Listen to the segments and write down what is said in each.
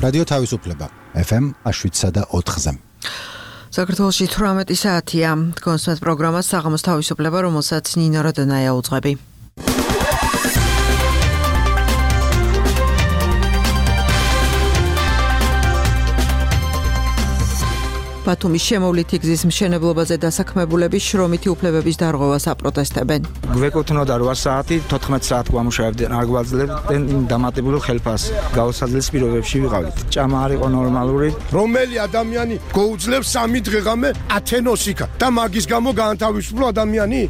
რადიო თავისუფლება FM 7.4-ზე. საქართველოში 18 საათია. კონსერტ პროგრამას საღამოს თავისუფლება, რომელსაც ნინო როდონაია უძღვები. ბათუმის შემოვლითი გზის მშენებლობაზე დასაქმებულები შრომითი უფლებების დარღვევას აპროტესტებენ. გვეკუთვნოდა 8 საათი, 14 საათ გვამუშავებდნენ, არ გვაძლევდნენ დამატებულ ხელფასს. გაუსაძლეს პირობებში ვიყავით. ჭამა არ იყო ნორმალური. რომელი ადამიანი გვეუძლებს 3 დღეღამე ათენოს იქა და მაგის გამო გაანთავისუფლო ადამიანი?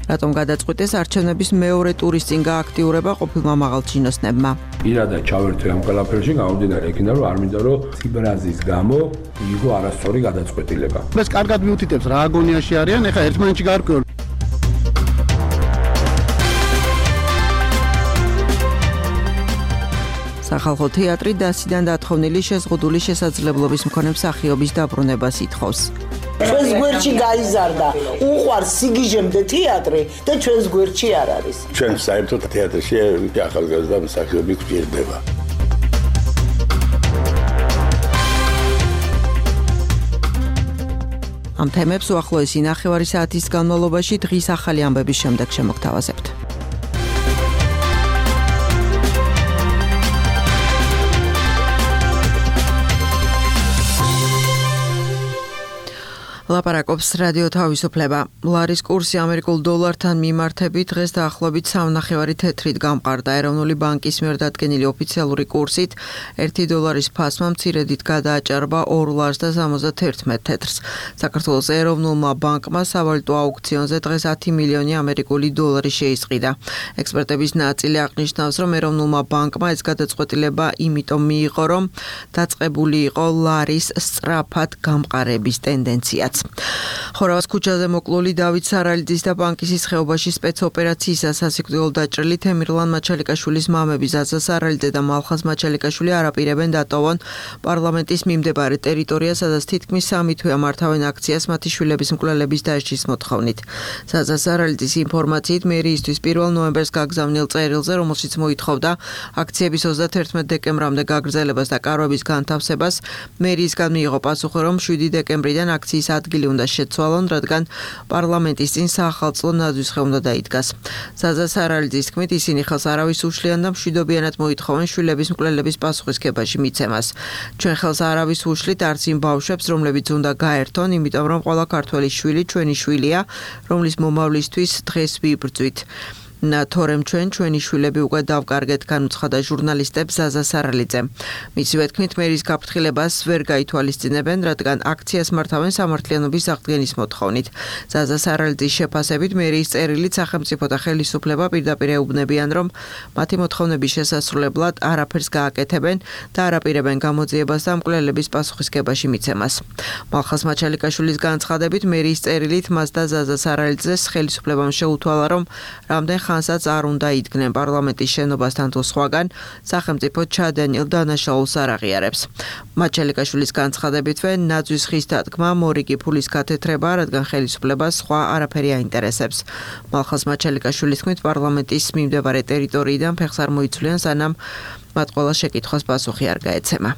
რატომ გადაწყვიტეს არჩევნების მეორე ტურის წინ გააქტიურება ყოფილმა მაღალჩინოსნებმა? პირადად ჩავერთვე ამ ყველაფერში, გამომდინარე იქიდან, რომ არ მინდა რომ ციბრაზის გამო იყო არასწორი გადაწყვეტილება. ეს კარგად მიუთითებს რა აგონიაში არიან, ეხლა ერთმანეთში გარკვეულ. სახალხო თეატრი დასიდან დათხოვნილი შეზღუდული შესაძლებლობის მქონე მსახიობის დაბრუნებას ითხოვს. ჩვენს გვერდში გაიზარდა უყვარს სიგიჟემდე თეატრი და ჩვენს გვერდში არ არის. ჩვენ საერთოდ თეატრში ახალგაზრდა მსახიობი გვჭირდება. ამ თემებს უახლოესი ნახევარი საათის განმავლობაში დღის ახალი ამბების შემდეგ შემოგთავაზებთ. ლაპარაკობს რადიო თავისუფლება. ლარის კურსი ამერიკულ დოლართან მიმართებით დღეს დაახლოებით 3.5 თეთრით გამყარდა. ეროვნული ბანკის მიერ დადგენილი ოფიციალური კურსით 1 დოლარის ფასმა მცირედით გადააჭარბა 2 ლარს და 71 თეთრს. საქართველოს ეროვნულმა ბანკმა სავალუტო აუქციონზე დღეს 10 მილიონი ამერიკული დოლარი შეისყიდა. ექსპერტების ნაწილი აღნიშნავს, რომ ეროვნულმა ბანკმა ეს გადაწყვეტილება იმიტომ მიიღო, რომ დაწყებული იყო ლარის სწრაფად გამყარების ტენდენცია. ხორავას ქუჩაზე მოკლული დავით სარალიძის და ბანკისის ხეობაში სპეცოპერაციისას სასიკვდილო დაჭრილი თემირლან მაჩალიკაშვილის მამები ზაზა სარალიძე და მალხაზ მაჩალიკაშვილი არაპირებენ დატოვონ პარლამენტის მიმდებარე ტერიტორია, სადაც თითქმის 3 თვეა მართავენ აქციას მათი შვილების მკვლელების დასჯის მოთხოვნით. ზაზა სარალიძის ინფორმაციით მერიისთვის 1 ნოემბერს გაგზავნილ წერილზე, რომელშიც მოითხოვდა აქციების 31 დეკემბრამდე გაგრძელებას და კარვების განთავსებას, მერიისგან მიიღო პასუხი, რომ 7 დეკემბრიდან აქციის ადგილი უნდა შეცვალონ, რადგან პარლამენტის წინ საახალწლო ნაძვის ხე უნდა დაიდგას. ზაზა სარალიძის თქმით, ისინი ხელს არავის უშლიან და მშვიდობიანად მოითხოვენ შვილების მკვლელების პასუხისგებაში მიცემას. ჩვენ ხელს არავის უშლით არც იმ ბავშვებს, რომლებიც უნდა გაერთონ, იმიტომ რომ ყველა ქართველი შვილი ჩვენი შვილია, რომლის მომავლისთვის დღეს ვიბრძვით. თორემ ჩვენი შვილები უკვე დავკარგეთ, განუცხადა ჟურნალისტებს ზაზა სარალიძემ. მისივე თქმით, მერის გაფრთხილებას ვერ გაითვალისწინებენ, რადგან აქციას მართავენ სამართლიანობის აღდგენის მოთხოვნით. ზაზა სარალიძის შეფასებით, მერის წერილით სახელმწიფო და ხელისუფლება პირდაპირ ეუბნებიან, რომ მათი მოთხოვნების შესასრულებლად არაფერს გააკეთებენ და არაპირებენ გამოძიებას და მკვლელების პასუხისგებაში მიცემას. მალხაზ მაჩალიკაშვილის განცხადებით, მერის წერილით მას და ზაზა სარალიძეს ხელისუფლებამ შეუთვალა, რომ რამდენ ხანსაც არ უნდა იდგნენ პარლამენტის შენობასთან თუ სხვაგან, სახელმწიფო ჩადენილ დანაშაულს არ აღიარებს. მაჩალიკაშვილის განცხადებითვე, ნაძვის ხის დადგმა მორიგი ფულის გათეთრება, რადგან ხელისუფლებას სხვა არაფერი აინტერესებს. მალხაზ მაჩალიკაშვილის თქმით, პარლამენტის მიმდებარე ტერიტორიიდან ფეხს არ მოიცვლიან, სანამ მათ ყველა შეკითხვას პასუხი არ გაეცემა.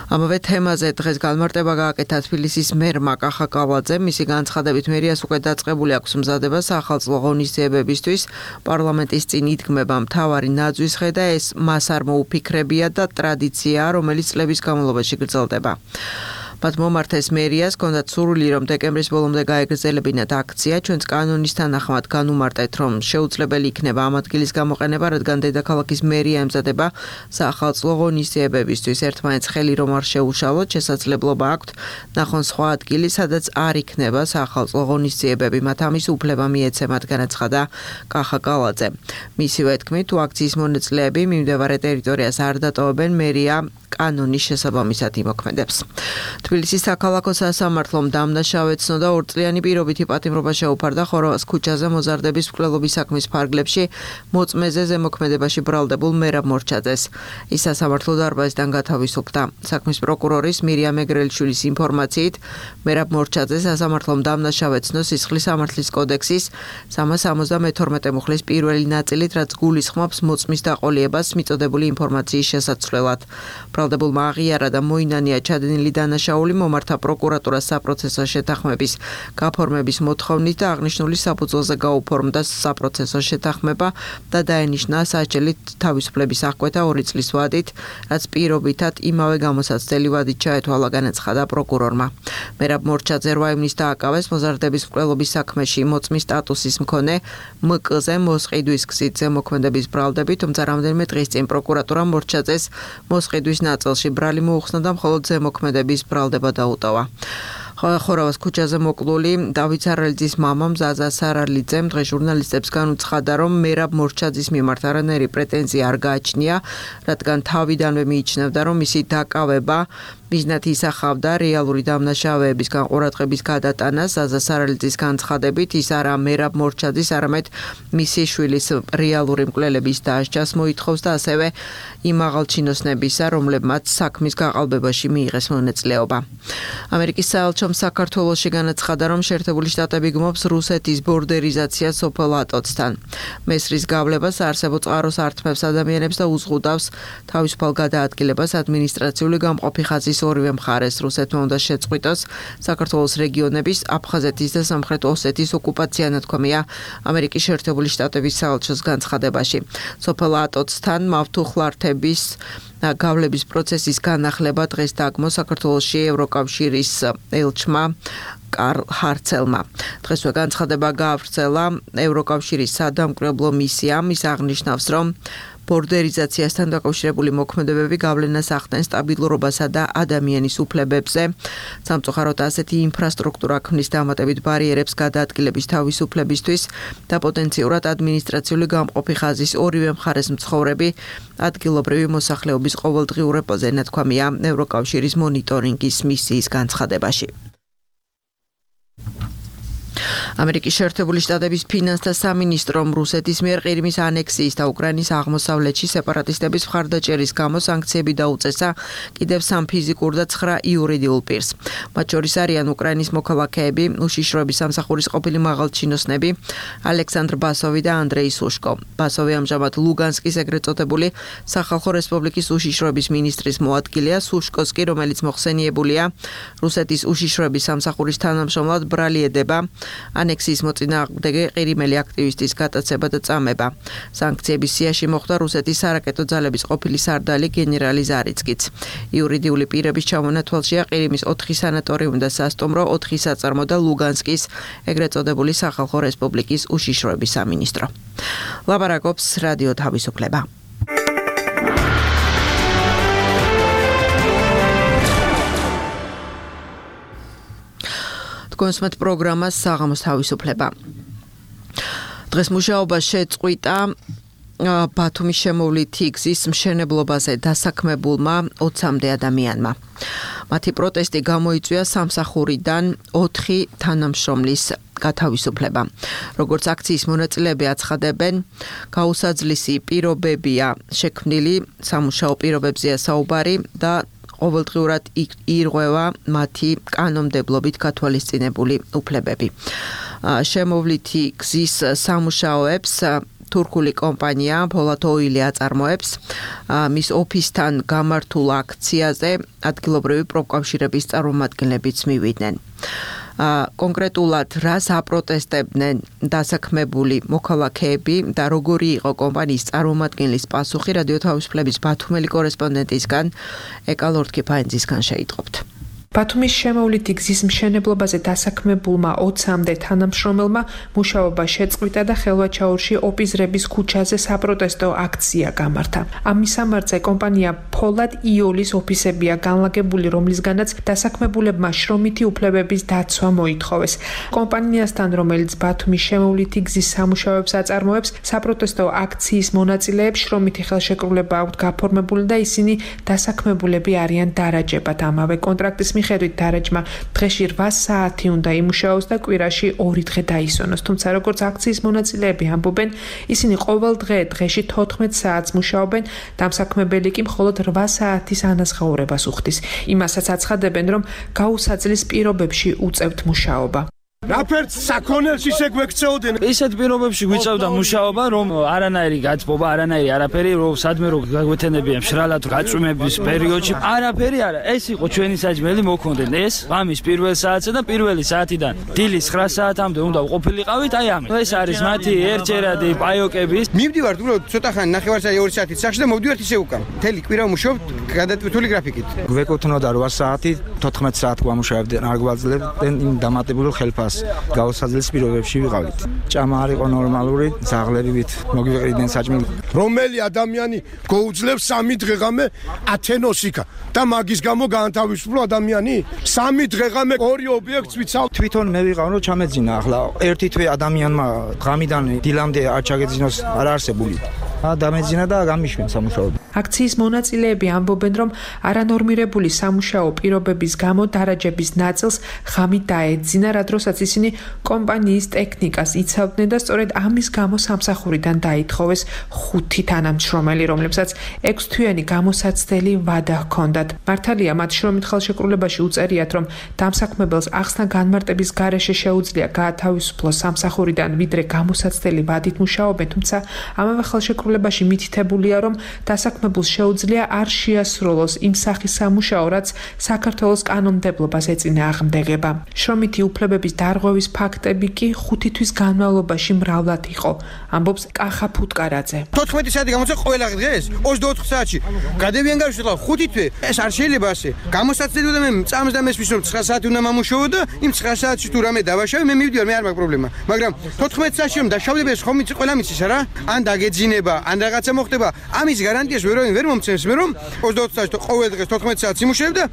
ამავე თემაზე დღეს განმარტება გააკეთა თბილისის მერმა კახა კავალაძემ. მისი განცხადებით, მერიას უკვე დაწყებული აქვს მზადება საახალწლო ღონისძიებებისთვის. პარლამენტის წინ იდგმება მთავარი ნაძვის ხე და ეს მას არ მოუფიქრებია და ტრადიციაა, რომელიც წლების განმავლობაში გრძელდება. მათ მომართეს მერიას, ჰქონდათ სურვილი, რომ დეკემბრის ბოლომდე გაეგრძელებინათ აქცია. ჩვენს კანონის თანახმად განუმარტეთ, რომ შეუძლებელი იქნება ამ ადგილის გამოყენება, რადგან დედაქალაქის მერია ემზადება საახალწლო ღონისძიებებისთვის. ერთმანეთს ხელი რომ არ შეუშალოთ, შესაძლებლობა აქვთ ნახონ სხვა ადგილი, სადაც არ იქნება საახალწლო ღონისძიებები. მათ ამის უფლება მიეცემათ, განაცხადა კახა კავალაძე. მისივე თქმით, თუ აქციის მონაწილეები მიმდებარე ტერიტორიას არ დატოვებენ, მერია კანონის შესაბამისად იმოქმედებს. თბილისის საქალაქო სასამართლომ დამნაშავე ცნოდა 2 წლიანი პირობითი პატიმრობა შეუფარდა ხორავას ქუჩაზე მოზარდების მკვლელობის საქმის ფარგლებში მოწმეზე ზემოქმედებაში ბრალდებულ მერაბ მორჩაძეს. ის სასამართლო დარბაზიდან გათავისუფლდა. საქმის პროკურორის მირიამ ეგრელიშვილის ინფორმაციით, მერაბ მორჩაძეს სასამართლომ დამნაშავე ცნო სისხლის სამართლის კოდექსის 372 მუხლის პირველი ნაწილით, რაც გულისხმობს მოწმის დაყოლიებას მიწოდებული ინფორმაციის შესაცვლელად. ბრალდებულმა აღიარა და მოინანია ჩადენილი დანაშაული მომართა პროკურატურას საპროცესო შეთანხმების გაფორმების მოთხოვნით და აღნიშნული საფუძველზე გაუფორმდა საპროცესო შეთანხმება და დაენიშნა საჭელით თავისუფლების აღკვეთა 2 წლის ვადით, რაც პირობითად იმავე გამოსაცდელი ვადით ჩაეთვალა, განაცხადა პროკურორმა. მერაბ მორჩაძე 8 ივნის დააკავეს მოზარდების მკვლელობის საქმეში მოწმის სტატუსის მქონე მკ-ზე მოსყიდვის გზით ზემოქმედების ბრალდებით, თუმცა რამდენიმე დღის წინ პროკურატურამ მორჩაძეს მოსყიდვის ნაწილში ბრალი მოუხსნა და მხოლოდ ზემოქმედების ბრალდება დაუტოვა. ხორავას ქუჩაზე მოკლული დავით სარალიძის მამამ ზაზა სარალიძემ დღეს ჟურნალისტებს განუცხადა, რომ მერაბ მორჩაძის მიმართ არანაირი პრეტენზია არ გააჩნია, რადგან თავიდანვე მიიჩნევდა, რომ მისი დაკავება მიზნად ისახავდა რეალური დამნაშავეების განყურადღების გადატანას. ზაზა სარალიძის განცხადებით, ის არა მერაბ მორჩაძის, არამედ მისი შვილის რეალური მკვლელების დასჯას მოითხოვს და ასევე იმ აღალჩინოსნებისა, რომლებმაც საქმის გაყალბებაში მიიღეს მონაწილეობა. ამერიკის საელჩომ საქართველოში განაცხადა, რომ შეერთებული შტატები გმობს რუსეთის ბორდერიზაციას სოფელ ატოცთან. მესრის გავლებას არსებო წყაროს ართმევს ადამიანებს და უზღუდავს თავისუფალ გადაადგილებას ადმინისტრაციული გამყოფი ხაზის ორივე მხარეს. რუსეთმა უნდა შეწყვიტოს საქართველოს რეგიონების, აფხაზეთის და სამხრეთ ოსეთის ოკუპაცია, ნათქვამია ამერიკის შეერთებული შტატების საელჩოს განცხადებაში. სოფელ ატოცთან მავთუხლართების გავლების პროცესის განახლება დღეს დაგმო საქართველოში ევროკავშირის ელჩმა კარლ ჰარცელმა. დღესვე განცხადება გაავრცელა ევროკავშირის სადამკვირვებლო მისიამ. ის აღნიშნავს, რომ ბორდერიზაციასთან დაკავშირებული მოქმედებები გავლენას ახდენ სტაბილურობასა და ადამიანის უფლებებზე. სამწუხაროდ ასეთი ინფრასტრუქტურა ქმნის დამატებით ბარიერებს გადაადგილების თავისუფლებისთვის და პოტენციურად ადმინისტრაციული გამყოფი ხაზის ორივე მხარეს მცხოვრები ადგილობრივი მოსახლეობის ყოველდღიურობაზე, ნათქვამია ევროკავშირის მონიტორინგის მისიის განცხადებაში. ამერიკის შეერთებული შტატების ფინანსთა სამინისტრომ რუსეთის მიერ ყირიმის ანექსიის და უკრაინის აღმოსავლეთში სეპარატისტების მხარდაჭერის გამო სანქციები დაუწესა კიდევ 3 ფიზიკურ და 9 იურიდიულ პირს. მათ შორის არიან უკრაინის მოქალაქეები, უშიშროების სამსახურის ყოფილი მაღალჩინოსნები ალექსანდრ ბასოვი და ანდრეი სუშკო. ბასოვი ამჟამად ლუგანსკის ეგრეთ წოდებული სახალხო რესპუბლიკის უშიშროების მინისტრის მოადგილეა, სუშკოს კი, რომელიც მოხსენიებულია რუსეთის უშიშროების სამსახურის თანამშრომლად, ბრალი ედება ანექსიის მოწინააღმდეგე ყირიმელი აქტივისტის გატაცება და წამება. სანქციების სიაში მოხვდა რუსეთის სარაკეტო ძალების ყოფილი სარდალი გენერალი ზარიცკიც. იურიდიული პირების ჩამონათვალშია ყირიმის 4 სანატორიუმი და სასტუმრო, 4 საწარმო და ლუგანსკის ეგრეთ წოდებული სახალხო რესპუბლიკის უშიშროების სამინისტრო. ლაპარაკობს რადიო თავისუფლება. კონსუმატ პროგრამას საღამოს თავისუფლება. დღეს მუშაობა შეწყვიტა ბათუმის შემოვლითი გზის მშენებლობაზე დასაქმებულმა 20-მდე ადამიანმა. მათი პროტესტი გამოიწვია სამსახურიდან 4 თანამშრომლის გათავისუფლება. როგორც აქციის მონაწილეები აცხადებენ, გაუსაძლისი პირობებია შექმნილი, სამუშაო პირობებზეა საუბარი და ყოველდღიურად ირღვევა მათი კანონმდებლობით გათვალისწინებული უფლებები. შემოვლითი გზის სამუშაოებს თურქული კომპანია Polat Oil აწარმოებს. მის ოფისთან გამართულ აქციაზე ადგილობრივი პროფკავშირების წარმომადგენლებიც მივიდნენ. კონკრეტულად რას აპროტესტებდნენ დასაქმებული მოქალაქეები და როგორი იყო კომპანიის წარმომადგენლის პასუხი, რადიო თავისუფლების ბათუმელი კორესპონდენტისგან ეკა ლორდ-კიფაინძისგან შეიტყობთ. ბათუმის შემოვლითი გზის მშენებლობაზე დასაქმებულმა 20-მდე თანამშრომელმა მუშაობა შეწყვიტა და ხელვაჩაურში ოპიზრების ქუჩაზე საპროტესტო აქცია გამართა. ამ მისამართზე კომპანია ფოლად იოლის ოფისებია განლაგებული, რომლისგანაც დასაქმებულებმა შრომითი უფლებების დაცვა მოითხოვეს. კომპანიასთან, რომელიც ბათუმის შემოვლითი გზის სამუშაოებს აწარმოებს, საპროტესტო აქციის მონაწილეებს შრომითი ხელშეკრულება აქვთ გაფორმებული და ისინი დასაქმებულები არიან დარაჯებად. ამავე კონტრაქტის მიხედვით დარაჯმა დღეში 8 საათი უნდა იმუშაოს და კვირაში 2 დღე დაისვენოს. თუმცა როგორც აქციის მონაწილეები ამბობენ, ისინი ყოველ დღეში 14 საათს მუშაობენ, დამსაქმებელი კი მხოლოდ 8 საათის ანაზღაურებას უხდის. იმასაც აცხადებენ, რომ გაუსაძლის პირობებში უწევთ მუშაობა. რაფერც საქონელში შეგვექცეოდნენ. ისეთ პირობებში გვიწევდა მუშაობა, რომ არანაირი გაწმობა, არანაირი არაფერი, რომ სადმე რო გაგვეთენებიან შრალად გაწვიმების პერიოდში, არაფერი არა. ეს იყო ჩვენი საჭმელი მოქონდნენ. ეს ღამის პირველ საათზე და პირველი საათიდან დილის 9 საათამდე უნდა ყოფილიყავით, აი ამით. ეს არის მათი ერთჯერადი პაიოკების. მივდივართ უბრალოდ ცოტა ხანი ნახევარსაათი 2 საათით სახში და მოვდივართ ისე უკან. მთელი კვირა ვმუშაობ გადატვირთული გრაფიკით. გვეკუთვნოდა 8 საათი, 14 საათ ვამუშავებდნენ, არ გვაძლევდნენ იმ დამატებულ ხელფასს. გაუსაძლის პირობებში ვიყავით. ჭამა არ იყო ნორმალური, ზაღლერივით მოგვიყრიდნენ საჭმელი. რომელი ადამიანი გაუძლებს 3 დღეღამე ათენოსიკა და მაგის გამო გაანთავისუფლო ადამიანი? 3 დღეღამე 2 ობიექტს ვიცავ. თვითონ მე ვიყავ რომ ჩამეძინა, ახლა ერთი თვე ადამიანმა ღამიდან დილამდე არ ჩაგეძინოს არ არსებული. დამეძინა და გამიშვენ სამუშაოდ. აქციის მონაწილეები ამბობენ, რომ არანორმირებული სამუშაო პირობების გამო დარაჯების ნაწილს ღამით დაეძინა, რა დროსაც ისინი კომპანიის ტექნიკას იცავდნენ და სწორედ ამის გამო სამსახურიდან დაითხოვეს 5 თანამშრომელი, რომლებსაც 6 თვიანი გამოსაცდელი ვადა ჰქონდათ. მართალია, მათ შრომით ხელშეკრულებაში უწერიათ, რომ დამსაქმებელს ახსნა განმარტების გარეშე შეუძლია გაათავისუფლოს სამსახურიდან, ვიდრე გამოსაცდელი ვადით მუშაობენ, თუმცა ამავე ხელშეკრულებაში მითითებულია, რომ დასაქმებულს შეუძლია არ შეასრულოს იმ სახის სამუშაო, რაც საქართველოს კანონმდებლობას ეწინააღმდეგება. შრომითი უფლებების დარღვევის ფაქტები კი 5 თვის განმავლობაში მრავლად იყო, ამბობს კახა ფუტკარაძე. 14 საათი გამოცა ყველა დღეს 24 საათში. გადევიან გავშლა 5 თვე. ეს არ შეიძლება ასე. გამოსაცდელი და მე წამს და მესმის რომ 9 საათი უნდა მომუშაო და იმ 9 საათში თუ რამე დავაშავე, მე მივდივარ, მე არ მაქვს პრობლემა. მაგრამ 14 საათში რომ დაშავდები ეს ხომ იცი ყველა მიცის რა? ან დაგეძინება, ან რაღაცა მოხდება. ამის გარანტიას ვერ მომცემს მე რომ 24 საათში ყოველ დღეს 14 საათს იმუშავებ და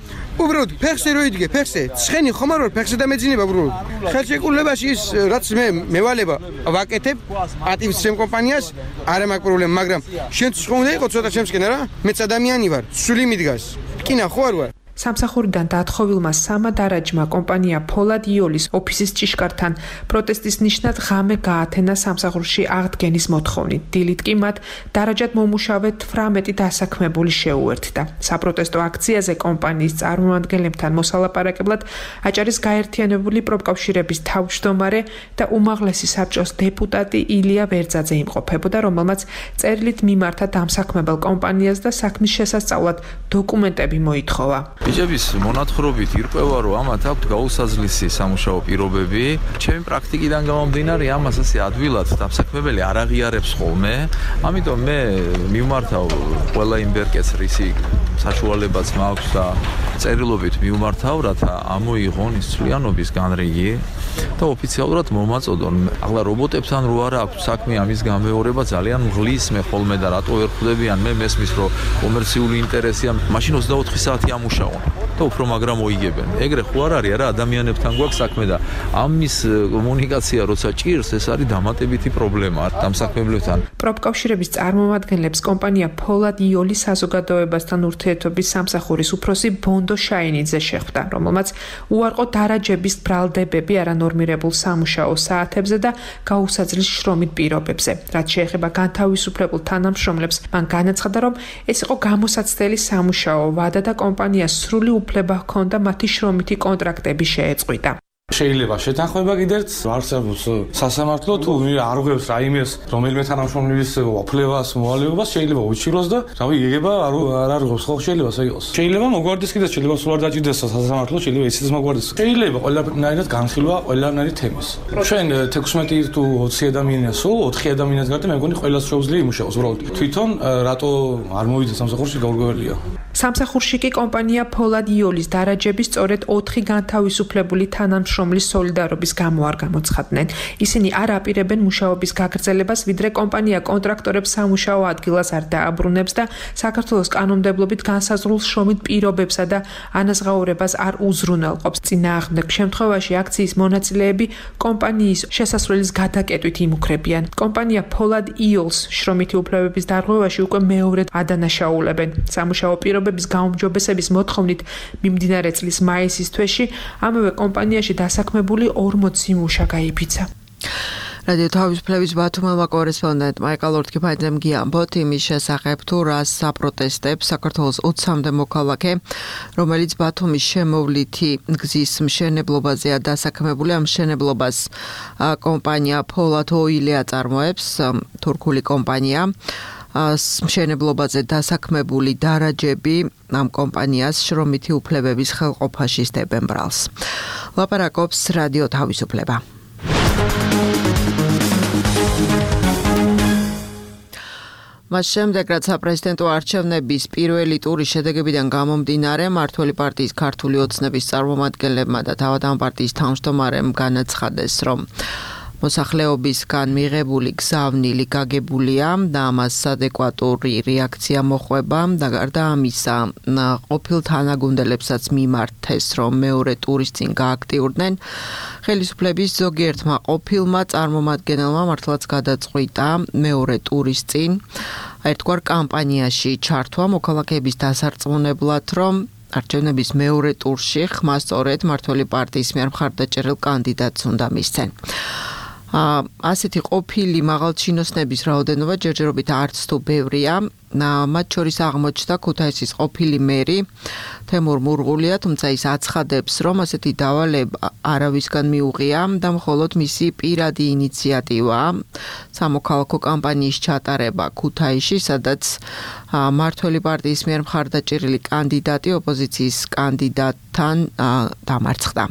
უბრალოდ ფეხზე რო იდგე, ფეხზე. ცხენი ხომ არ ვარ, ფეხზე დამეძინება უბრალოდ. ხელშეკრულებაში ის რაც მე მევალება ვაკეთებ პატივს ჩემ კომპანიას, არა მაქვს პრობლემა, მაგრამ შენც ხომ უნდა იყოს ცოტა ჩემსკენ რა? მეც ადამიანი ვარ, სული მიდგას. კინა ხო არ ვარ? სამსახურიდან დაათხოვილმა სამა დარაჯმა კომპანია ფოლად იოლის ოფისის ჭიშკართან პროტესტის ნიშნად ღამე გაათენა სამსახურში აღდგენის მოთხოვნით. დილით კი მათ დარაჯად მომუშავე 18 დასაქმებული შეუერთდა. საპროტესტო აქციაზე კომპანიის წარმომადგენლებთან მოსალაპარაკებლად აჭარის გაერთიანებული პროფკავშირების თავმჯდომარე და უმაღლესი საბჭოს დეპუტატი ილია ვერძაძე იმყოფებოდა, რომელმაც წერილით მიმართა დამსაქმებელ კომპანიას და საქმის შესასწავლად დოკუმენტები მოითხოვა. ბიჭების მონათხრობით ირკვევა, რომ ამათ აქვთ გაუსაძლისი სამუშაო პირობები. ჩემი პრაქტიკიდან გამომდინარე, ამას ასე ადვილად დამსაქმებელი არ აღიარებს ხოლმე. ამიტომ მე მივმართავ ყველა იმ ბერკეტს, რისი საშუალებაც მაქვს და წერილობით მივმართავ, რათა ამოიღონ ის ცვლიანობის განრიგი და ოფიციალურად მომაწოდონ. ახლა რობოტებთან რო არა აქვს საქმე, ამის გამეორება ძალიან მღლის მე ხოლმე და რატო ვერ ხვდებიან, მე მესმის რომ კომერციული ინტერესია, მაშინ 24 საათი ამუშავონ და უფრო მაგრამ მოიგებენ. ეგრე ხო არ არის რა, ადამიანებთან გვაქვს საქმე და ამის კომუნიკაცია როცა ჭირს, ეს არის დამატებითი პრობლემა დამსაქმებლებთან. პროფკავშირების წარმომადგენლებს კომპანია ფოლად იოლის საზოგადოებასთან ურთიერთობის სამსახურის უფროსი ბონდო შაინიძე შეხვდა, რომელმაც უარყო დარაჯების ბრალდებები არანორმირებულ სამუშაო საათებზე და გაუსაძლის შრომით პირობებზე. რაც შეეხება განთავისუფლებულ თანამშრომლებს, მან განაცხადა, რომ ეს იყო გამოსაცდელი სამუშაო ვადა და კომპანიას სრული უფლება ჰქონდა მათი შრომითი კონტრაქტები შეეწყვიტა. შეიძლება შეთანხმება კიდეც არსებობს სასამართლო თუ არ ღვევს რაიმეს რომელიმე თანამშრომლის უფლებას მოვალეობას შეიძლება უჩილოს და რავი იგება არ არღვევს ხო შეიძლება ასე იყოს შეიძლება მოგვარდეს კიდეც შეიძლება სულ არ დაჭირდეს სასამართლო შეიძლება ისიც მოგვარდეს შეიძლება ყველანაირად განხილვა ყველანაირი თემის ჩვენ 16 თუ 20 ადამიანია სულ 4 ადამიანის გარდა მე მგონი ყველას შეუძლია იმუშაოს უბრალოდ თვითონ რატო არ მოვიდეს სამსახურში გაურკვეველია სამსახურში კი კომპანია Polad Iolis დარაჯების სწორედ 4 განთავისუფლებული თანამშრომლის სოლიდარობის გამო არ გამოცხადდნენ. ისინი არ აპირებენ მუშაობის გაგრძელებას, ვიდრე კომპანია კონტრაქტორებს სამუშაო ადგილას არ დააბრუნებს და საქართველოს კანონმდებლობით განსაზღვრულ შრომით პირობებსა და ანაზღაურებას არ უზრუნველყოფს. წინააღმდეგ შემთხვევაში აქციის მონაწილეები კომპანიის შესასვლელის გადაკეტვით იმუქრებიან. კომპანია Polad Iolis შრომითი უფლებების დარღვევაში უკვე მეორედ ადანაშაულებენ. სამუშაო პირობების გაუმჯობესების მოთხოვნით მიმდინარე წლის მაისის თვეში ამავე კომპანიაში დასაქმებული 40 მუშა გაიფიცა. რადიო თავისუფლების ბათუმელმა კორესპონდენტმა ეკალორთქიფაიძემ გიამბოთ იმის შესახებ თუ რას საპროტესტებს საქართველოს 20-მდე მოქალაქე, რომელიც ბათუმის შემოვლითი გზის მშენებლობაზეა დასაქმებული. ამ მშენებლობას კომპანია Polad Oil აწარმოებს, თურქული კომპანია. მშენებლობაზე დასაქმებული დარაჯები ამ კომპანიას შრომითი უფლებების ხელყოფაში სდებენ ბრალს. ლაპარაკობს რადიო თავისუფლება. მას შემდეგ, რაც საპრეზიდენტო არჩევნების პირველი ტურის შედეგებიდან გამომდინარე, მმართველი პარტიის ქართული ოცნების წარმომადგენლებმა და თავად ამ პარტიის თავმჯდომარემ განაცხადეს, რომ მოსახლეობისგან მიღებული გზავნილი გაგებულია და ამას ადეკვატური რეაქცია მოხვება და გარდა ამისა ყოფილ თანაგუნდელებსაც მიმართეს, რომ მეორე ტურის წინ გააქტიურდნენ. ხელისუფლების ზოგიერთმა ყოფილმა წარმომადგენელმა მართლაც გადაწყვიტა მეორე ტურის წინ ერთგვარ კამპანიაში ჩართვა მოქალაქეების დასარწმუნებლად, რომ არჩევნების მეორე ტურში ხმა სწორედ მმართველი პარტიის მიერ მხარდაჭერილ კანდიდატს უნდა მისცენ. ასეთი ყოფილი მაღალჩინოსნების რაოდენობა ჯერჯერობით არც თუ ბევრია. მათ შორის აღმოჩნდა ქუთაისის ყოფილი მერი თემურ მურღულია, თუმცა ის აცხადებს, რომ ასეთი დავალება არავისგან მიუღია და მხოლოდ მისი პირადი ინიციატივა სამოქალაქო კამპანიის ჩატარება ქუთაისში, სადაც მმართველი პარტიის მიერ მხარდაჭერილი კანდიდატი ოპოზიციის კანდიდატთან დამარცხდა.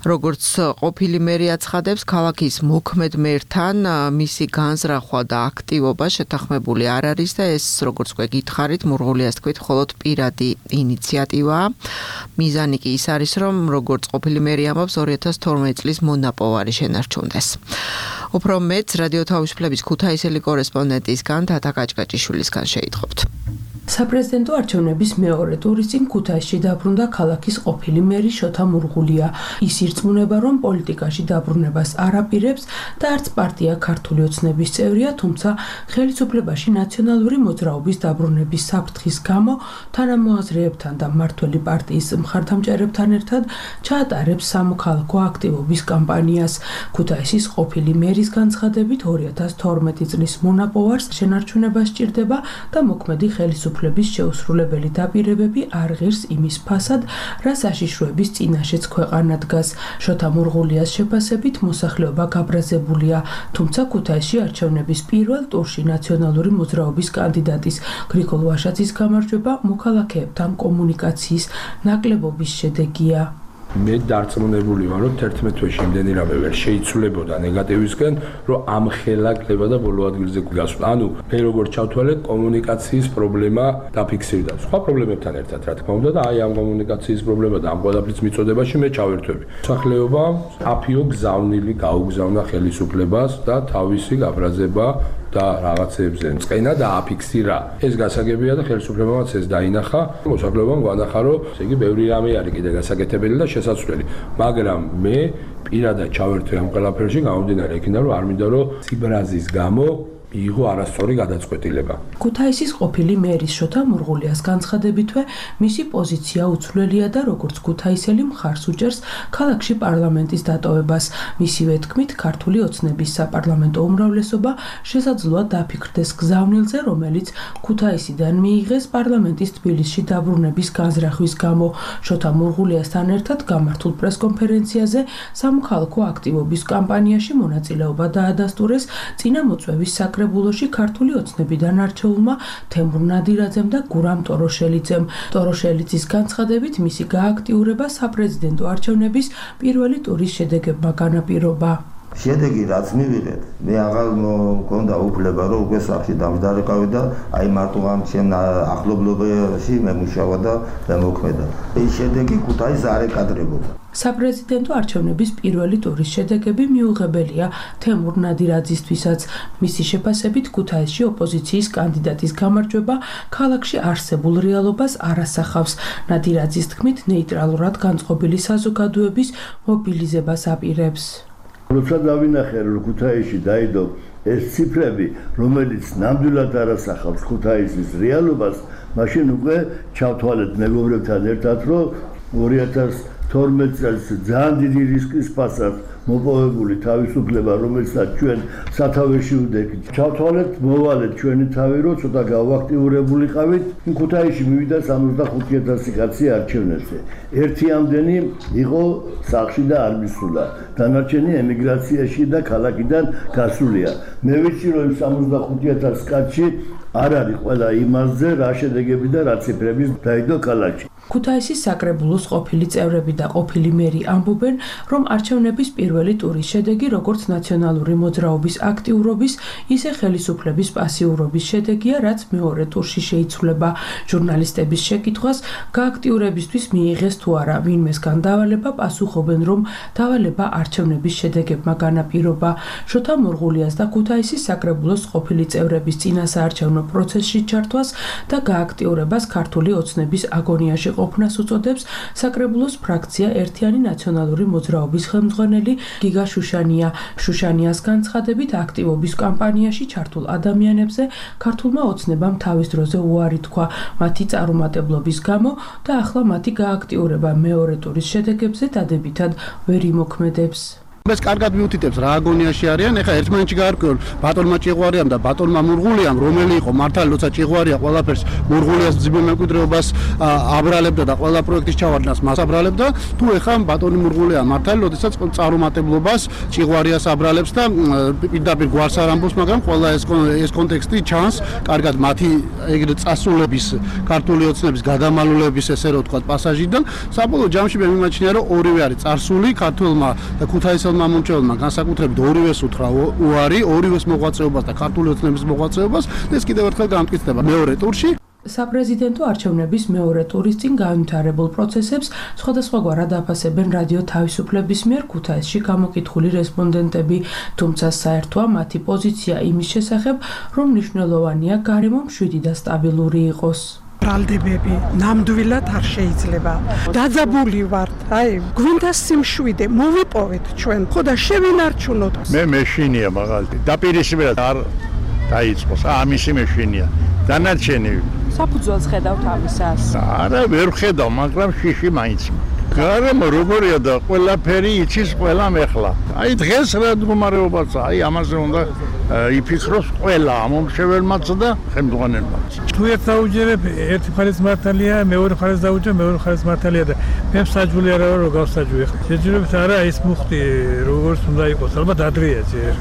როგორც ყოფილი მერი აცხადებს, ქალაქის მოქმედ მერთან მისი განზრახვა და აქტივობა შეთანხმებული არ არის და ეს, როგორც უკვე გითხარით, მურღულიას თქვით, მხოლოდ პირადი ინიციატივაა. მიზანი კი ის არის, რომ როგორც ყოფილი მერი ამბობს, 2012 წლის მონაპოვარი შენარჩუნდეს. უფრო მეც რადიო თავისუფლების ქუთაისელი კორესპონდენტისგან თათა კაჭკაჭიშვილისგან შეიტყობთ. საპრეზიდენტო არჩევნების მეორე ტურის წინ ქუთაისში დაბრუნდა ქალაქის ყოფილი მერი შოთა მურღულია. ის ირწმუნება, რომ პოლიტიკაში დაბრუნებას არ აპირებს და არც პარტია ქართული ოცნების წევრია, თუმცა ხელისუფლებაში ნაციონალური მოძრაობის დაბრუნების საფრთხის გამო თანამოაზრეებთან და მმართველი პარტიის მხარდამჭერებთან ერთად ჩაატარებს სამოქალაქო აქტივობის კამპანიას. ქუთაისის ყოფილი მერის განცხადებით 2012 წლის მონაპოვარს შენარჩუნება სჭირდება და მოქმედი ხელისუფლების შეუსრულებელი დაპირებები არ ღირს იმის ფასად, რა საშიშროების წინაშეც ქვეყანა დგას. შოთა მურღულიას შეფასებით მოსახლეობა გაბრაზებულია, თუმცა ქუთაისში არჩევნების პირველ ტურში ნაციონალური მოძრაობის კანდიდატის გრიგოლ ვაშაძის გამარჯვება მოქალაქეებთან კომუნიკაციის ნაკლებობის შედეგია. მე დარწმუნებული ვარ, რომ 11 თვეში იმდენი რამე ვერ შეიცვლებოდა ნეგატივისკენ, რომ ამ ხელა კლება და ბოლო ადგილზე გასვლა. ანუ მე როგორ ჩავთვალე, კომუნიკაციის პრობლემა დაფიქსირდა. სხვა პრობლემებთან ერთად, რა თქმა უნდა, და აი ამ კომუნიკაციის პრობლემა და ამ ყველაფრის მიწოდებაში მე ჩავერთვები. მოსახლეობა აფიო გზავნილი გაუგზავნა ხელისუფლებას და თავისი გაბრაზება და რაღაცებზე მწყენა და აფიქსირა. ეს გასაგებია და ხელისუფლებამაც ეს დაინახა. მოსახლეობამ გვანახა, რომ ესე იგი ბევრი რამე არის კიდე გასაკეთებელი და შესაძლებელი. მაგრამ მე პირადად ჩავერთვე ამ ყველაფერში, გამომდინარე იქიდან, რომ არ მინდა რომ ციბრაზის გამო მიიღო არასწორი გადაწყვეტილება. ქუთაისის ყოფილი მერის შოთა მურღულიას განცხადებითვე მისი პოზიცია უცვლელია და როგორც ქუთაისელი მხარს უჭერს ქალაქში პარლამენტის დატოვებას. მისივე თქმით, ქართული ოცნების საპარლამენტო უმრავლესობა შესაძლოა დაფიქრდეს გზავნილზე, რომელიც ქუთაისიდან მიიღეს პარლამენტის თბილისში დაბრუნების განზრახვის გამო. შოთა მურღულიასთან ერთად გამართულ პრესკონფერენციაზე სამოქალაქო აქტივობის კამპანიაში მონაწილეობა დაადასტურეს წინამოწვევის საკრებულოში ქართული ოცნებიდან არჩეულმა თემურ ნადირაძემ და გურამ ტოროშელიძემ. ტოროშელიძის განცხადებით მისი გააქტიურება საპრეზიდენტო არჩევნების პირველი ტურის შედეგებმა განაპირობა. შედეგი რაც მივიღეთ, მე აღარ მქონდა უფლება რომ უკვე სახში დამჯდარიყავი და აი მარტო ამ ჩემ ახლობლობაში მე მუშავა და მოქმედა. ეს შედეგი ქუთაისს არ ეკადრებოდა. საპრეზიდენტო არჩევნების პირველი ტურის შედეგები მიუღებელია თემურ ნადირაძისთვისაც. მისი შეფასებით ქუთაისში ოპოზიციის კანდიდატის გამარჯვება ქალაქში არსებულ რეალობას არ ასახავს. ნადირაძის თქმით, ნეიტრალურად განწყობილი საზოგადოების მობილიზებას აპირებს. როცა დავინახე რომ ქუთაისში დაიდო ეს ციფრები, რომელიც ნამდვილად არ ასახავს ქუთაისის რეალობას, მაშინ უკვე ჩავთვალეთ მეგობრებთან ერთად, რომ 2012 წელს ძალიან დიდი რისკის პასად მოპოვებული თავისუფლება, რომელსაც ჩვენ სათავეში ვდექით. ჩავთვალეთ, მოვალეთ ჩვენი თავი, რომ ცოტა გავაქტიურებულიყავით. ქუთაისში მივიდა 65,000 კაცი არჩევნებზე. ერთი ამდენი იყო სახლში და არ მისულა. დანარჩენი ემიგრაციაში და ქალაქიდან გასულია. მე ვიცი, რომ 65,000 კაცი არ არის ყველა იმაზე, რა შედეგები და რა ციფრები დაიდო ქალაქში. ქუთაისის საკრებულოს ყოფილი წევრები და ყოფილი მერი ამბობენ, რომ არჩევნების პირველი ტურის შედეგი როგორც ნაციონალური მოძრაობის აქტიურობის, ისე ხელისუფლების პასიურობის შედეგია, რაც მეორე ტურში შეიცვლება. ჟურნალისტების შეკითხვას გააქტიურებისთვის მიიღეს თუ არა ვინმესგან დავალება, პასუხობენ, რომ დავალება არჩევნების შედეგებმა განაპირობა. შოთა მურღულიას და ქუთაისის საკრებულოს ყოფილი წევრების წინასაარჩევნო პროცესში ჩართვას და გააქტიურებას ქართული ოცნების აგონიაში ყოფნას უწოდებს საკრებულოს ფრაქცია ერთიანი ნაციონალური მოძრაობის ხელმძღვანელი გიგა შუშანია. შუშანიას განცხადებით, აქტივობის კამპანიაში ჩართულ ადამიანებზე ქართულმა ოცნებამ თავის დროზე უარი თქვა მათი წარუმატებლობის გამო და ახლა მათი გააქტიურება მეორე ტურის შედეგებზე დადებითად ვერ იმოქმედებს. ეს კარგად მიუთითებს რა აგონიაში არიან. ეხლა ერთმანეთში გაარკვევენ ბატონმა ჭიღვარიამ და ბატონმა მურღულიამ, რომელი იყო მართალი, როცა ჭიღვარია ყველაფერს მურღულიას ძიმე მემკვიდრეობას აბრალებდა და ყველა პროექტის ჩავარდნას მას აბრალებდა, თუ ეხლა ბატონი მურღულია მართალი, როდესაც წარუმატებლობას ჭიღვარიას აბრალებს და პირდაპირ გვარს არ ამბობს, მაგრამ ყველა ეს კონტექსტი ჩანს კარგად მათი ეგრეთ წასულების, ქართული ოცნების გადამალულების ესე რომ ვთქვათ პასაჟიდან. საბოლოო ჯამში მე მიმაჩნია, რომ ორივე არის წარსული ქართველმა და ქუთაისელმა მომჭრელმა განსაკუთრებით ორივეს უთხრა უარი, ორივეს მოღვაწეობას და ქართული ოცნების მოღვაწეობას და ეს კიდევ ერთხელ გამტკიცდება მეორე ტურში. საპრეზიდენტო არჩევნების მეორე ტურის წინ განვითარებულ პროცესებს სხვადასხვაგვარად აფასებენ რადიო თავისუფლების მიერ ქუთაისში გამოკითხული რესპონდენტები, თუმცა საერთოა მათი პოზიცია იმის შესახებ, რომ მნიშვნელოვანია გარემო მშვიდი და სტაბილური იყოს. ბრალდებები ნამდვილად არ შეიძლება. დაძაბული ვართ, აი, გვინდა სიმშვიდე, მოვიპოვეთ ჩვენ. ხო და შევინარჩუნოთ. მე მეშინია მაგალითად. დაპირისპირდა არ დაიწყოს. ამისი მეშინია. დანარჩენი საფუძველს ხედავთ ამისას? არა, ვერ ხედავ, მაგრამ შიში მაინც. გარემო როგორია და ყველაფერი იცის ყველამ ეხლა. აი დღეს რა მდგომარეობაა, აი ამაზე უნდა იფიქროს ყველა ამომრჩეველმაც და ხელმძღვანელმაც. თუ ერთ დაუჯერებ, ერთი მხარეს მართალია, მეორე მხარეს დაუჯერებ, მეორე მხარეს მართალია და მე მსაჯული არა ვარ, რომ გავსაჯვი ხა. შეჯერებით არა ის მუხტი როგორც უნდა იყოს, ალბათ ადრეა ჯერ.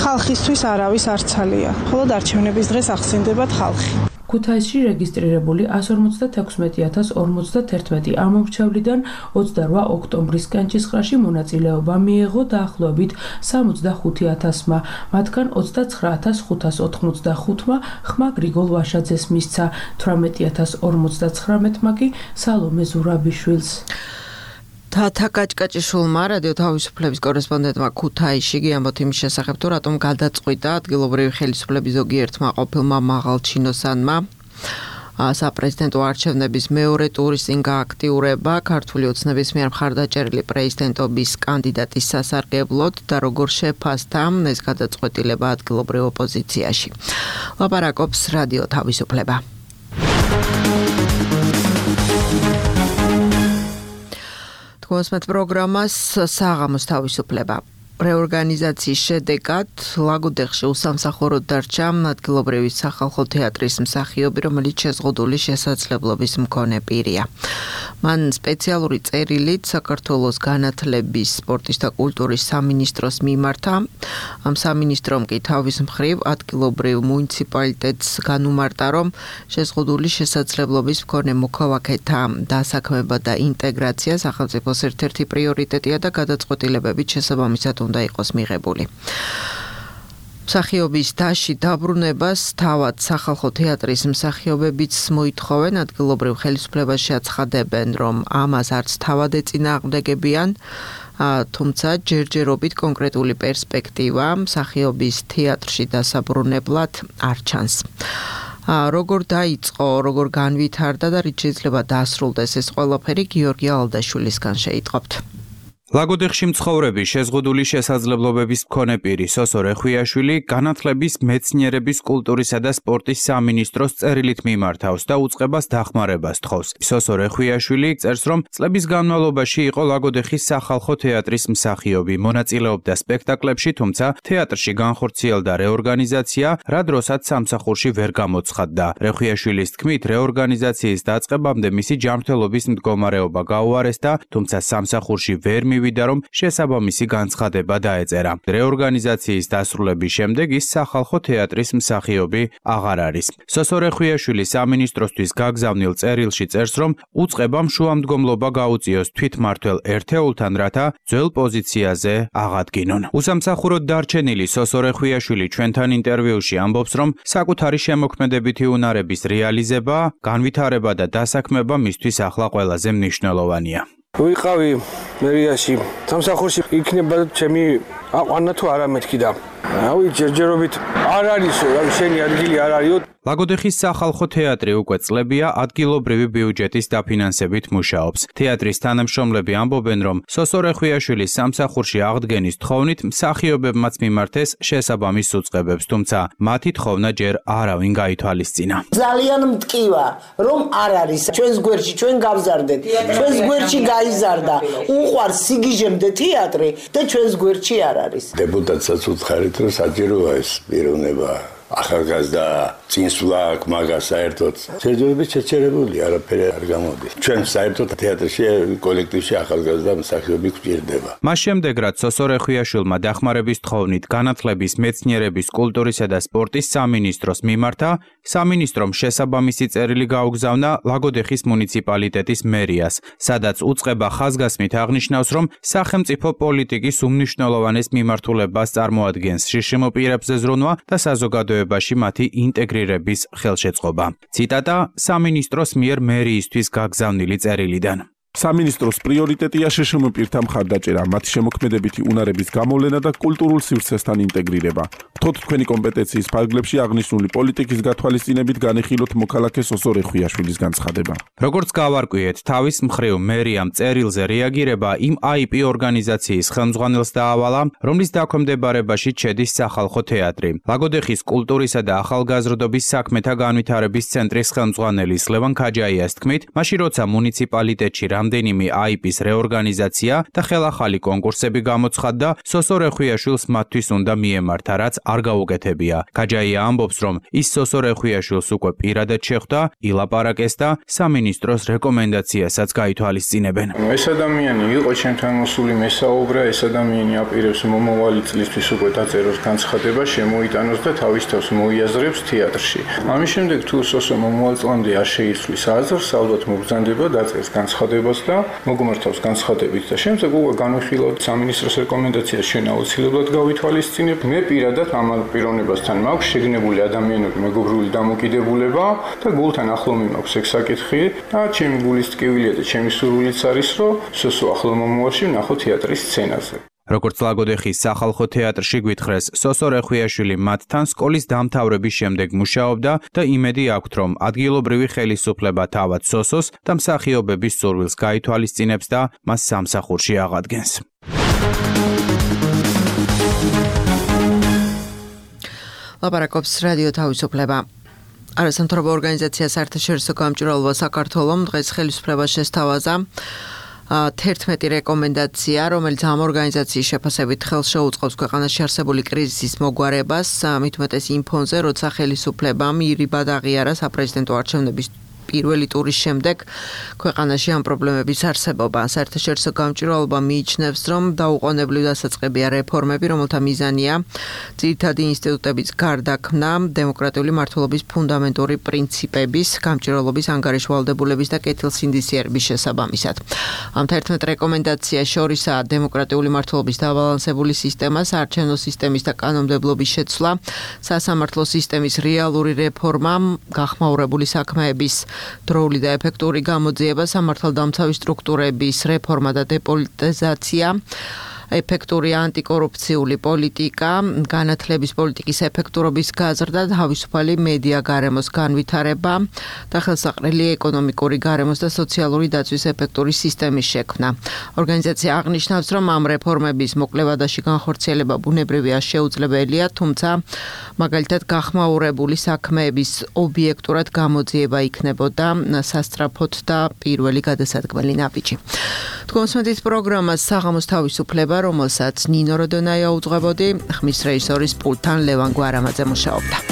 ხალხისთვის არავის არცალია. მხოლოდ არჩევნების დღეს ახსენდებათ ხალხი. ქუთაისში რეგისტრირებული 150,051 ამომრჩევლიდან 28 ოქტომბრის კენჭისყრაში მონაწილეობა მიიღო დაახლოებით 65,000-მა, მათგან 29,585-მა ხმა გრიგოლ ვაშაძეს მისცა, 18,059-მა კი სალომე ზურაბიშვილს. თათა კაჭკაჭიშვილმა რადიო თავისუფლების კორესპონდენტმა ქუთაისში გიამბოთ იმის შესახებ, თუ რატომ გადაწყვიტა ადგილობრივი ხელისუფლების ზოგიერთმა ყოფილმა მაღალჩინოსანმა საპრეზიდენტო არჩევნების მეორე ტურის წინ გააქტიურება ქართული ოცნების მიერ მხარდაჭერილი პრეზიდენტობის კანდიდატის სასარგებლოდ და როგორ შეფასდა ეს გადაწყვეტილება ადგილობრივ ოპოზიციაში. ლაპარაკობს რადიო თავისუფლება. მოსმეთ პროგრამას საღამოს თავისუფლება. რეორგანიზაციის შედეგად ლაგოდეხში უსამსახუროდ დარჩა ადგილობრივი სახალხო თეატრის მსახიობი, რომელიც შეზღუდული შესაძლებლობის მქონე პირია. მან სპეციალური წერილით საქართველოს განათლების, სპორტის და კულტურის სამინისტროს მიმართა. ამ სამინისტრომ კი თავის მხრივ ადგილობრივ მუნიციპალიტეტს განუმარტა, რომ შეზღუდული შესაძლებლობის მქონე მოქალაქეთა დასაქმება და ინტეგრაცია სახელმწიფოს ერთ-ერთი პრიორიტეტია და გადაწყვეტილებებით შესაბამისად უნდა იყოს მიღებული. მსახიობის დასში დაბრუნებას თავად სახალხო თეატრის მსახიობებიც მოითხოვენ, ადგილობრივ ხელისუფლებას შეაცხადებენ, რომ ამას არც თავად ეწინააღმდეგებიან, თუმცა ჯერჯერობით კონკრეტული პერსპექტივა მსახიობის თეატრში დასაბრუნებლად არ ჩანს. როგორ დაიწყო, როგორ განვითარდა და რით შეიძლება დასრულდეს ეს ყველაფერი, გიორგი ალდაშვილისგან შეიტყობთ. ლაგოდეხში მცხოვრები შეზღუდული შესაძლებლობების მქონე პირი სოსო რეხვიაშვილი განათლების, მეცნიერების, კულტურისა და სპორტის სამინისტროს წერილით მიმართავს და უწყებას დახმარებას თხოვს. სოსო რეხვიაშვილი წერს, რომ წლების განმავლობაში იყო ლაგოდეხის სახალხო თეატრის მსახიობი, მონაწილეობდა სპექტაკლებში, თუმცა თეატრში განხორციელდა რეორგანიზაცია, რა დროსაც სამსახურში ვერ გამოცხადდა. რეხვიაშვილის თქმით, რეორგანიზაციის დაწყებამდე მისი ჯანმრთელობის მდგომარეობა გაუარესდა, თუმცა სამსახურში ვერ მივიდა, რომ შესაბამისი განცხადება დაეწერა. რეორგანიზაციის დასრულების შემდეგ ის სახალხო თეატრის მსახიობი აღარ არის. სოსო რეხვიაშვილი სამინისტროსთვის გაგზავნილ წერილში წერს, რომ უწყებამ შუამდგომლობა გაუწიოს თვითმმართველ ერთეულთან, რათა ძველ პოზიციაზე აღადგინონ. უსამსახუროდ დარჩენილი სოსო რეხვიაშვილი ჩვენთან ინტერვიუში ამბობს, რომ საკუთარი შემოქმედებითი უნარების რეალიზება, განვითარება და დასაქმება მისთვის ახლა ყველაზე მნიშვნელოვანია. ვიყავი მერიაში, სამსახურში იქნება ჩემი აყვანა თუ არა მეთქი და რავი ჯერჯერობით არ არის, რავი შენი ადგილი არ არისო. ლაგოდეხის სახალხო თეატრი უკვე წლებია ადგილობრივი ბიუჯეტის დაფინანსებით მუშაობს. თეატრის თანამშრომლები ამბობენ, რომ სოსო რეხვიაშვილის სამსახურში აღდგენის თხოვნით მსახიობებმაც მიმართეს შესაბამის უწყებებს, თუმცა მათი თხოვნა ჯერ არავინ გაითვალისწინა. ძალიან მტკივა, რომ არ არის ჩვენს გვერდში, ჩვენ გავზარდეთ. ჩვენს გვერდში გაიზარდა. უყვარს სიგიჟემდე თეატრი და ჩვენს გვერდში არ არის. დეპუტატსაც უცხარით, რომ საჭიროა ეს პიროვნება. ახალგაზრდა წინსვლა აქვს მაგას საერთოდ შეჯერებით შეჩერებული არაფერი არ გამოდის. ჩვენ საერთოდ თეატრში კოლექტივში ახალგაზრდა მსახიობი გვჭირდება. მას შემდეგ რაც სოსო რეხვიაშვილმა დახმარების თხოვნით განათლების, მეცნიერების, კულტურისა და სპორტის სამინისტროს მიმართა, სამინისტრომ შესაბამისი წერილი გაუგზავნა ლაგოდეხის მუნიციპალიტეტის მერიას, სადაც უწყება ხაზგასმით აღნიშნავს, რომ სახელმწიფო პოლიტიკის უმნიშვნელოვანეს მიმართულებას წარმოადგენს შიშიმო პირებზე ზრუნვა და საზოგადოებაში მათი ინტეგრირების ხელშეწყობა. ციტატა სამინისტროს მიერ მერიისთვის გაგზავნილი წერილიდან. სამინისტროს პრიორიტეტია შშმ პირთა მხარდაჭერა, მათი შემოქმედებითი უნარების გამოვლენა და კულტურულ სივრცესთან ინტეგრირება. გთხოვთ თქვენი კომპეტენციის ფარგლებში აღნიშნული პოლიტიკის გათვალისწინებით განიხილოთ მოქალაქე სოსო რეხვიაშვილის განცხადება. როგორც გავარკვიეთ, თავის მხრივ მერიამ წერილზე რეაგირება იმ IP ორგანიზაციის ხელმძღვანელს დაავალა, რომლის დაქვემდებარებაში ჩედის სახალხო თეატრი. ლაგოდეხის კულტურისა და ახალგაზრდობის საქმეთა განვითარების ცენტრის ხელმძღვანელის ლევან ქაჯაიას თქმით, მაშინ როცა მუნიციპალიტეტში რამდენიმე IP-ის რეორგანიზაცია და ხელახალი კონკურსები გამოცხადდა, სოსო რეხვიაშვილს მათთვის უნდა მიემართა, რაც არ გაუკეთებია. ქაჯაია ამბობს, რომ ის სოსო რეხვიაშვილს უკვე პირადად შეხვდა, ილაპარაკეს და სამინისტროს რეკომენდაციასაც გაითვალისწინებენ. ეს ადამიანი იყო ჩემთან მოსული მესაუბრა, ეს ადამიანი აპირებს მომავალი წლისთვის უკვე დაწეროს განცხადება, შემოიტანოს და თავის თავს მოიაზრებს თეატრში. ამის შემდეგ თუ სოსო მომავალ წლამდე არ შეიცვლის აზრს, ალბათ მობრძანდება დაწერს განცხადებას და მოგმართავს განცხადებით და შემდეგ უკვე განვიხილავთ სამინისტროს რეკომენდაციას ჩვენ აუცილებლად გავითვალისწინებ. მე პირადად ამ პიროვნებასთან მაქვს შეგნებული ადამიანური მეგობრული დამოკიდებულება და გულთან ახლო მიმაქვს ეგ საკითხი და ჩემი გულის ტკივილია და ჩემი სურვილიც არის, რომ სოსო ახლო მომავალში ვნახო თეატრის სცენაზე. როგორც ლაგოდეხის სახალხო თეატრში გვითხრეს, სოსო რეხვიაშვილი მათთან სკოლის დამთავრების შემდეგ მუშაობდა და იმედი აქვთ, რომ ადგილობრივი ხელისუფლება თავად სოსოს და მსახიობების სურვილს გაითვალისწინებს და მას სამსახურში აღადგენს. ლაპარაკობს რადიო თავისუფლება. არასამთავრობო ორგანიზაცია საერთაშორისო გამჭვირვალობა საქართველოს დღეს ხელისუფლებას შესთავაზა 11 რეკომენდაცია, რომელიც ამ ორგანიზაციის შეფასებით ხელს შეუწყობს ქვეყანაში არსებული კრიზისის მოგვარებას, მით უმეტეს იმ ფონზე, როცა ხელისუფლებამ ირიბად აღიარა საპრეზიდენტო არჩევნების პირველი ტურის შემდეგ ქვეყანაში ამ პრობლემების არსებობა. საერთაშორისო გამჭვირვალობა მიიჩნევს, რომ დაუყოვნებლივ დასაწყებია რეფორმები, რომელთა მიზანია ძირითადი ინსტიტუტების გარდაქმნა, დემოკრატიული მმართველობის ფუნდამენტური პრინციპების, გამჭვირვალობის ანგარიშვალდებულების და კეთილსინდისიერების შესაბამისად. ამ 11 რეკომენდაცია შორისაა დემოკრატიული მმართველობის დაბალანსებული სისტემა, საარჩევნო სისტემის და კანონმდებლობის შეცვლა, სასამართლო სისტემის რეალური რეფორმა, გახმაურებული საქმეების დროული და ეფექტური გამოძიება, სამართალდამცავი სტრუქტურების რეფორმა და დეპოლიტიზაცია, ეფექტური ანტიკორუფციული პოლიტიკა, განათლების პოლიტიკის ეფექტურობის გაზრდა, თავისუფალი მედია გარემოს განვითარება და ხელსაყრელი ეკონომიკური გარემოს და სოციალური დაცვის ეფექტური სისტემის შექმნა. ორგანიზაცია აღნიშნავს, რომ ამ რეფორმების მოკლევადაში განხორციელება ბუნებრივია შეუძლებელია, თუმცა მაგალითად გახმაურებული საქმეების ობიექტურად გამოძიება იქნებოდა სასწრაფოდ და პირველი გადასადგმელი ნაბიჯი. თქოსმეთის პროგრამას საღამოს თავისუფლება, რომელსაც ნინო როდონაია უძღვებოდი, ხმის რეჟისორის პულტთან ლევან გვარამაძე მუშაობდა.